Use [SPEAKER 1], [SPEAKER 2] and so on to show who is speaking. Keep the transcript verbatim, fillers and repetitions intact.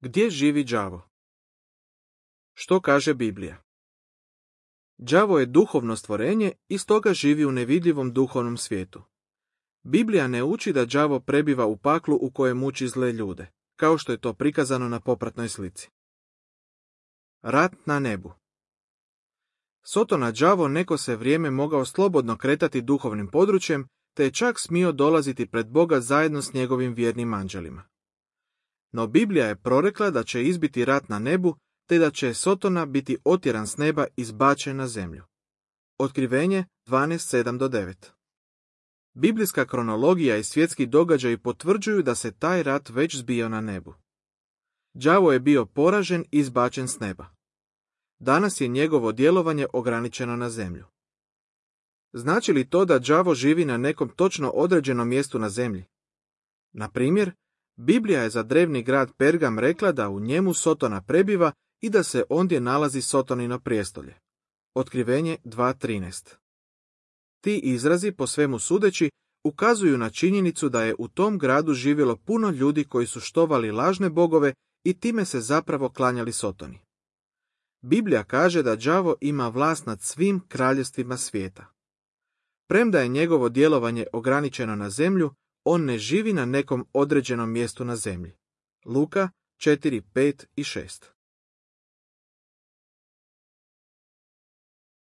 [SPEAKER 1] Gdje živi đavo? Što kaže Biblija? Đavo je duhovno stvorenje i stoga živi u nevidljivom duhovnom svijetu. Biblija ne uči da đavo prebiva u paklu u kojem muči zle ljude, kao što je to prikazano na popratnoj slici. Rat na nebu. Sotona đavo neko se vrijeme mogao slobodno kretati duhovnim područjem, te je čak smio dolaziti pred Boga zajedno s njegovim vjernim anđelima. No Biblija je prorekla da će izbiti rat na nebu, te da će Sotona biti otjeran s neba i zbačen na zemlju. Otkrivenje dvanaest sedam do devet. Biblijska kronologija i svjetski događaji potvrđuju da se taj rat već zbio na nebu. Đavo je bio poražen i izbačen s neba. Danas je njegovo djelovanje ograničeno na zemlju. Znači li to da đavo živi na nekom točno određenom mjestu na zemlji? Na primjer, Biblija je za drevni grad Pergam rekla da u njemu Sotona prebiva i da se ondje nalazi Sotonino prijestolje. Otkrivenje dva trinaest. Ti izrazi, po svemu sudeći, ukazuju na činjenicu da je u tom gradu živjelo puno ljudi koji su štovali lažne bogove i time se zapravo klanjali Sotoni. Biblija kaže da đavo ima vlast nad svim kraljevstvima svijeta. Premda je njegovo djelovanje ograničeno na zemlju, on ne živi na nekom određenom mjestu na zemlji. Luka četiri pet i šest.